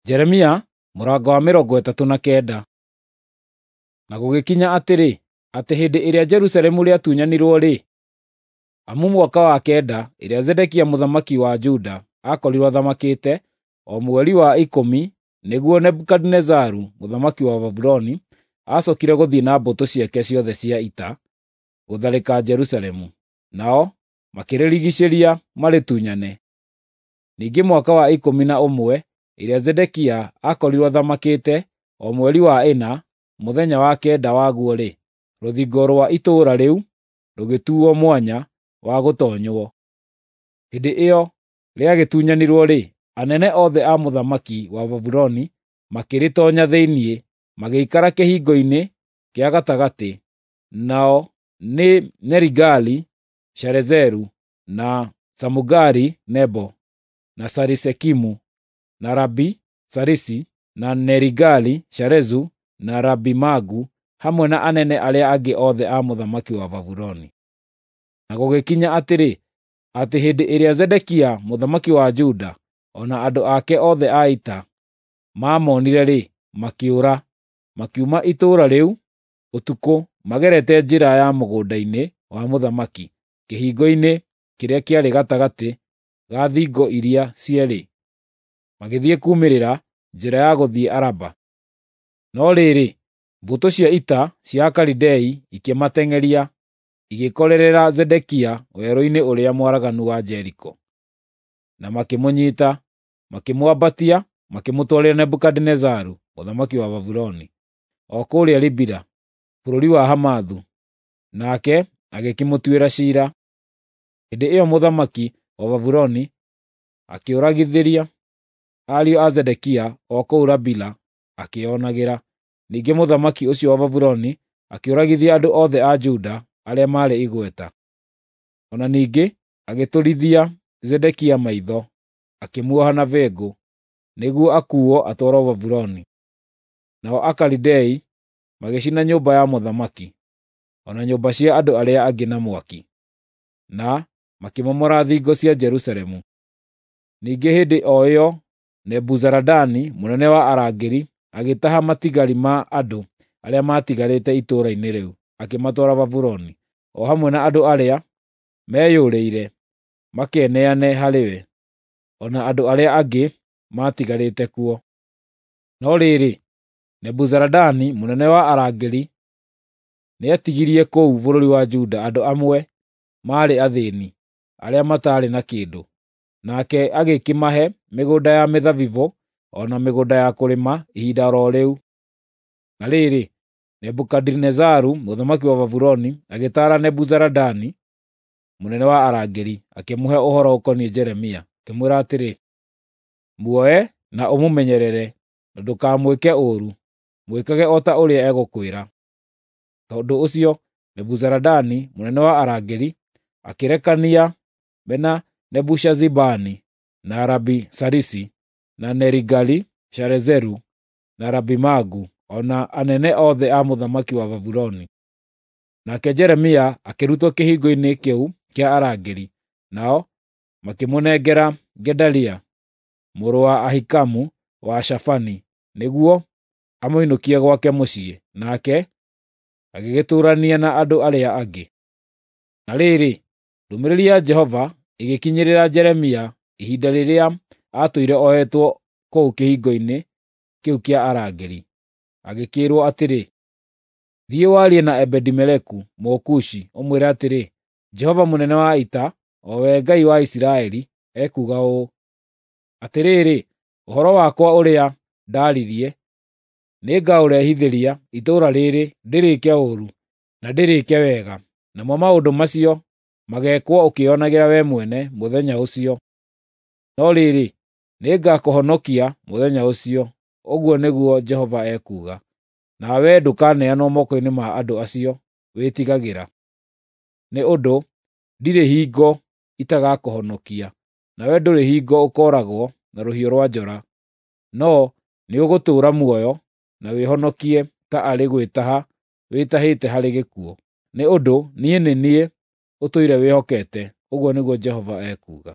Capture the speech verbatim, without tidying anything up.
Jeremia mũrango wa mĩrongo ĩtatũ na kenda. Na gũgĩkinya atĩrĩ, atĩ hĩndĩ ĩrĩa Jerusalemu rĩatunyanirwo-rĩ, amu mwaka wa kenda ĩrĩa Zedekia mũthamaki wa Juda aakorirwo athamakĩte, o mweri wa ikũmi, nĩguo Nebukadinezaru mũthamaki wa Babuloni acookire gũthiĩ na mbũtũ ciake ciothe cia ita gũtharĩka Jerusalemu, nao makĩrĩrigiicĩria marĩtunyane. Ningĩ mwaka wa ikũmi na ũmwe ĩrĩa Zedekia aakorirwo athamakĩte, o mweri wa ĩna, mũthenya wa kenda waguo-rĩ, rũthingo rwa itũũra rĩu rũgĩtuuo mwanya wa gũtoonywo. Hĩndĩ ĩyo rĩagĩtunyanirwo-rĩ, anene othe a mũthamaki wa Babuloni makĩrĩtoonya thĩinĩ, magĩikara kĩhingo-inĩ kĩa gatagatĩ, nao nĩ Nerigali-Sharezeru, na Samugari-Nebo, na Sarisekimu, na Rabi-Sarisi, na Nerigali-Sharezu, na Rabi-Magu, hamwe na anene arĩa angĩ othe a mũthamaki wa Babuloni. Na gũgĩkinya atĩrĩ, atĩ hĩndĩ ĩrĩa Zedekia mũthamaki wa Juda o na andũ ake othe a ita maamonire-rĩ, makĩũra, makiuma itũũra rĩu ũtukũ magerete njĩra ya mũgũnda-inĩ wa mũthamaki, kĩhingo-inĩ kĩrĩa kĩarĩ gatagatĩ ga thingo iria cierĩ, magĩthiĩ kuumĩrĩra njĩra ya gũthiĩ Araba. No rĩrĩ, mbũtũ cia ita cia Akalidei ikĩmateng'eria, igĩkorerera Zedekia werũ-inĩ ũrĩa mwaraganu wa Jeriko. Na makĩmũnyiita, makĩmwambatia, makĩmũtwarĩra Nebukadinezaru mũthamaki wa Babuloni, o kũrĩa Ribila, bũrũri wa Hamathu, nake agĩkĩmũtuĩra ciira. Hĩndĩ ĩyo mũthamaki wa Babuloni akĩũragithĩria ariũ a Zedekia o kũu Rabila akĩĩonagĩra. Ningĩ mũthamaki ũcio wa Babuloni akĩũragithia andũ othe a Juda arĩa maarĩ igweta. O na ningĩ agĩtũrithia Zedekia maitho, akĩmuoha na bĩngũ, nĩguo akuuo atwarwo Babuloni. Nao Akalidei magĩcina nyũmba ya mũthamaki, o na nyũmba cia andũ arĩa angĩ na mwaki, na makĩmomora thingo cia Jerusalemu. Ningĩ hĩndĩ o ĩyo Nebuzaradani mũnene wa arangĩri agĩtaha matigari ma andũ arĩa maatigarĩte itũũra-inĩ rĩu, akĩmatwara Babuloni, o hamwe na andũ arĩa meyũrĩire makeneane harĩ we, o na andũ arĩa angĩ maatigarĩte kuo. No rĩrĩ, Nebuzaradani mũnene wa arangĩri nĩatigirie kũu bũrũri wa Juda andũ amwe maarĩ athĩĩni, arĩa mataarĩ na kĩndũ, nake agĩkĩmahe mĩgũnda ya mĩthabibũ o na mĩgũnda ya kũrĩma ihinda o rĩu. Na rĩrĩ, Nebukadinezaru mũthamaki wa Babuloni agĩtaara Nebuzaradani mũnene wa arangĩri, akĩmũhe ũhoro ũkoniĩ Jeremia, akĩmwĩra atĩrĩ, “Muoe na ũmũmenyerere, na ndũkamwĩke ũũru, mwĩkage o ta ũrĩa egũkwĩra.” Tondũ ũcio Nebuzaradani mũnene wa arangĩri akĩrekania mena Nebushazibani, na Rabi-Sarisi, na Nerigali-Sharezeru, na Rabi-Magu, o na anene othe a mũthamaki wa Babuloni. Nake Jeremia akĩrutwo kĩhingo-inĩ kĩu kĩa arangĩri, nao makĩmũnengera Gedalia mũrũ wa Ahikamu wa Shafani nĩguo amũinũkie gwake mũciĩ, nake agĩgĩtũũrania na andũ arĩa angĩ. Na rĩrĩ, ndũmĩrĩri ya Jehova ĩgĩkinyĩrĩra Jeremia ihinda rĩrĩa aatũire ohetwo kũu kĩhingo-inĩ kĩu kĩa arangĩri. Agĩkĩĩrwo atĩrĩ, “Thiĩ warie na Ebedi-Meleku Mũkushi, ũmwĩre atĩrĩ, Jehova mũnene wa ita, o we Ngai wa Isiraeli, ekuuga ũũ: Atĩrĩrĩ, ũhoro wakwa ũrĩa ndaaririe nĩngaũrehithĩria itũũra rĩrĩ ndĩrĩĩke ũũru na ndĩrĩĩke wega, namo maũndũ macio mageekwo ũkĩĩonagĩra wee mwene mũthenya ũcio. No rĩrĩ, nĩngakũhonokia mũthenya ũcio, ũguo nĩguo Jehova ekuuga, nawe ndũkaneanwo moko-inĩ ma andũ acio wĩtigagĩra. Nĩ ũndũ ndirĩ hingo itagakũhonokia, nawe ndũrĩ hingo ũkooragwo na rũhiũ rwa njora, no nĩũgũtũũra muoyo na wĩhonokie ta arĩ gwĩtaha wĩtahĩte harĩ gĩkuũ. Nĩ ũndũ niĩ nĩ niĩ ũtũire wĩhokete, ũguo nĩguo Jehova ekuuga.”